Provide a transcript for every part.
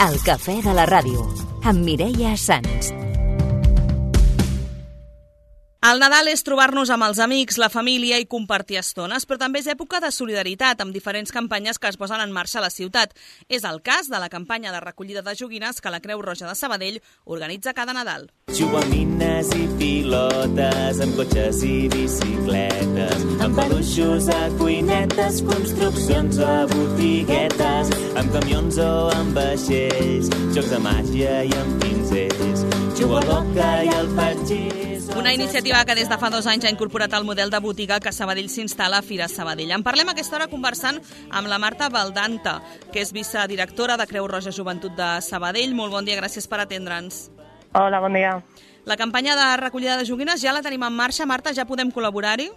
El cafè de la ràdio, amb Mireia Sans. El Nadal és trobar-nos amb els amics, la família i compartir estones, però també és època de solidaritat, amb diferents campanyes que es posen en marxa a la ciutat. És el cas de la campanya de recollida de joguines que la Creu Roja de Sabadell organitza cada Nadal. Joguines i pilotes, amb cotxes i bicicletes, amb peluixos a cuinetes, construccions a botiguetes, amb camions o amb vaixells, jocs de màgia i amb pinzells, jugo a l'oca i al patxís. Una iniciativa que des de fa 2 anys ha incorporat el model de botiga que a Sabadell s'instal·la a Fira Sabadell. En parlem a aquesta hora conversant amb la Marta Baldanta, que és vicedirectora de Creu Roja Joventut de Sabadell. Molt bon dia, gràcies per atendre'ns. Hola, bon dia. La campanya de recollida de joguines ja la tenim en marxa. Marta, ja podem col·laborar-hi?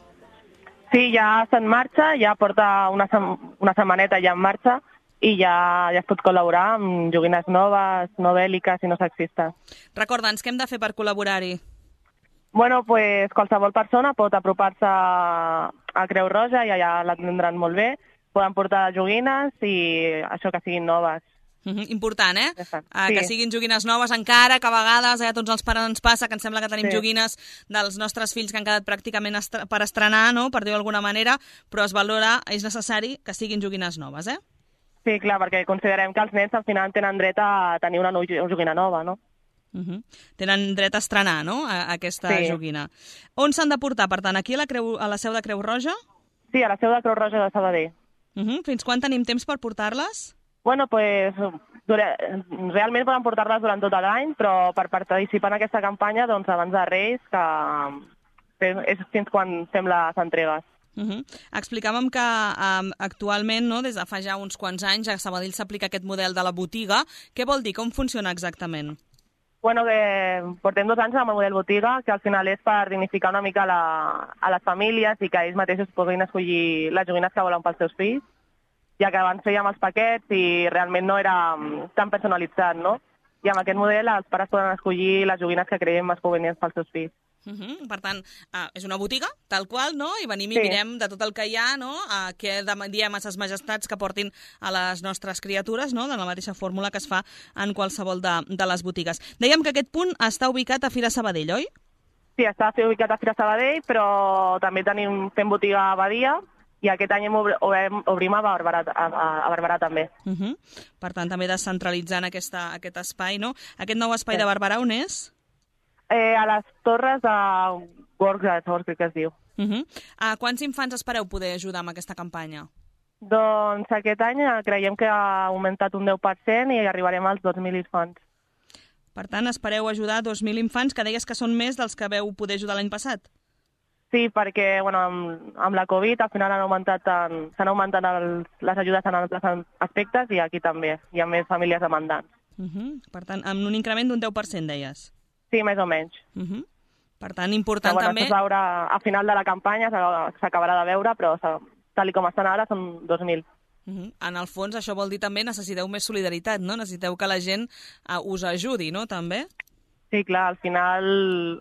Sí, ja està en marxa, ja porta una setmaneta ja en marxa i ja es pot col·laborar amb joguines noves, no bèl·liques i no sexistes. Recorda'ns, què hem de fer per col·laborar-hi? Bueno, pues qualsevol persona pot apropar-se a Creu Roja i allà l'atendran molt bé. Poden portar joguines i això que siguin noves. Important, eh? Sí. Que siguin joguines noves, encara que a vegades a tots els pares ens passa que ens sembla que tenim joguines dels nostres fills que han quedat pràcticament per estrenar, no? Per dir-ho d'alguna manera, però es valora, és necessari que siguin joguines noves, eh? Sí, clar, perquè considerem que els nens al final tenen dret a tenir una joguina nova, no? Tenen dret a estrenar, no?, aquesta joguina. On s'han de portar, per tant, aquí a la seu de Creu Roja? Sí, a la seu de Creu Roja de Sabadell. Fins quan tenim temps per portar-les? Bueno, pues realment poden portar-les durant tot l'any, però per participar en aquesta campanya, doncs abans de Reis, que és fins quan fem les entregues. Explicàvem que actualment, no, des de fa ja uns quants anys, a Sabadell s'aplica aquest model de la botiga. Què vol dir? Com funciona exactament? Bueno, que portem 2 anys amb el model botiga, que al final és per dignificar una mica a les famílies i que ells mateixos puguin escollir les joguines que volen pels seus fills, ja que abans fèiem els paquets i realment no era tan personalitzat, no? I amb aquest model els pares poden escollir les joguines que creiem més convenients pels seus fills. Per tant, és una botiga, tal qual, no? I venim i mirem de tot el que hi ha, no? Què diem a ses majestats que portin a les nostres criatures, no? De la mateixa fórmula que es fa en qualsevol de les botigues. Dèiem que aquest punt està ubicat a Fira Sabadell, oi? Sí, està ubicat a Fira Sabadell, però també fem botiga a Badia i aquest any obrim a Barberà també. Per tant, també descentralitzant aquest espai, no? Aquest nou espai de Barberà on és? A les torres de Gorgas, crec que es diu. Quants infants espereu poder ajudar amb aquesta campanya? Doncs aquest any creiem que ha augmentat un 10% i arribarem als 2.000 infants. Per tant, espereu ajudar 2.000 infants, que deies que són més dels que veu poder ajudar l'any passat? Sí, perquè amb la Covid al final s'han augmentat les ajudes en altres aspectes i aquí també hi ha més famílies demandants. Per tant, amb un increment d'un 10%, deies? Sí, més o menys. Per tant, important també... A final de la campanya s'acabarà de veure, però tal com estan ara són 2.000. En el fons, això vol dir també necessiteu més solidaritat, no? Necessiteu que la gent us ajudi, no?, també? Sí, clar, al final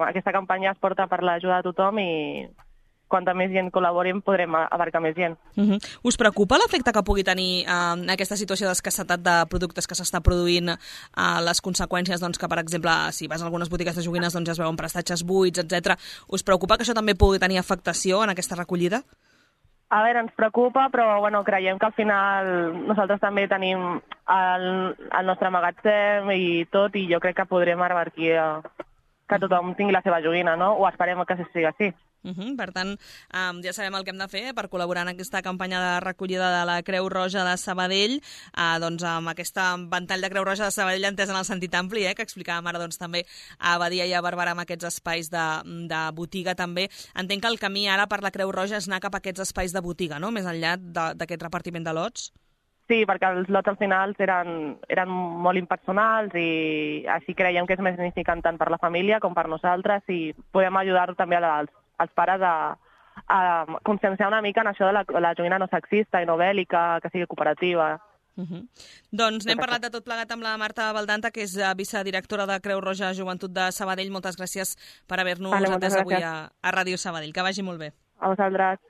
aquesta campanya es porta per l'ajuda de tothom i quanta més gent col·labori podrem abarcar més gent. Us preocupa l'efecte que pugui tenir aquesta situació d'escassetat de productes que s'està produint, les conseqüències doncs, que, per exemple, si vas a algunes botigues de joguines doncs, ja es veuen prestatges buits, etc. Us preocupa que això també pugui tenir afectació en aquesta recollida? A veure, ens preocupa, però creiem que al final nosaltres també tenim el nostre magatzem i tot, i jo crec que podrem revertir que tothom tingui la seva joguina, no? O esperem que sigui així. Per tant, ja sabem el que hem de fer per col·laborar en aquesta campanya de recollida de la Creu Roja de Sabadell, doncs amb aquesta ventall de Creu Roja de Sabadell entès en el sentit ampli, que explicàvem ara doncs, també a Badia i a Barberà amb aquests espais de botiga també. Entenc que el camí ara per la Creu Roja és anar cap a aquests espais de botiga, no?, més enllà d'aquest repartiment de lots. Sí, perquè els lots al final eren molt impersonals i així creiem que és més significant tant per la família com per nosaltres i podem ajudar també als pares a conscienciar una mica en això de la joguina no sexista i no bèl·lica, que sigui cooperativa. Doncs n'hem parlat de tot plegat amb la Marta Baldanta, que és vicedirectora de Creu Roja Joventut de Sabadell. Moltes gràcies per haver-nos atès avui a Ràdio Sabadell. Que vagi molt bé. A vosaltres.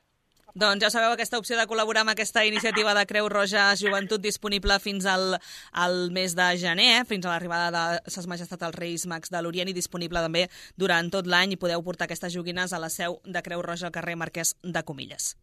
Doncs ja sabeu, aquesta opció de col·laborar amb aquesta iniciativa de Creu Roja Joventut disponible fins al mes de gener, fins a l'arribada de Ses Majestats els Reis Mags de l'Orient, i disponible també durant tot l'any, i podeu portar aquestes joguines a la seu de Creu Roja al carrer Marquès de Comilles.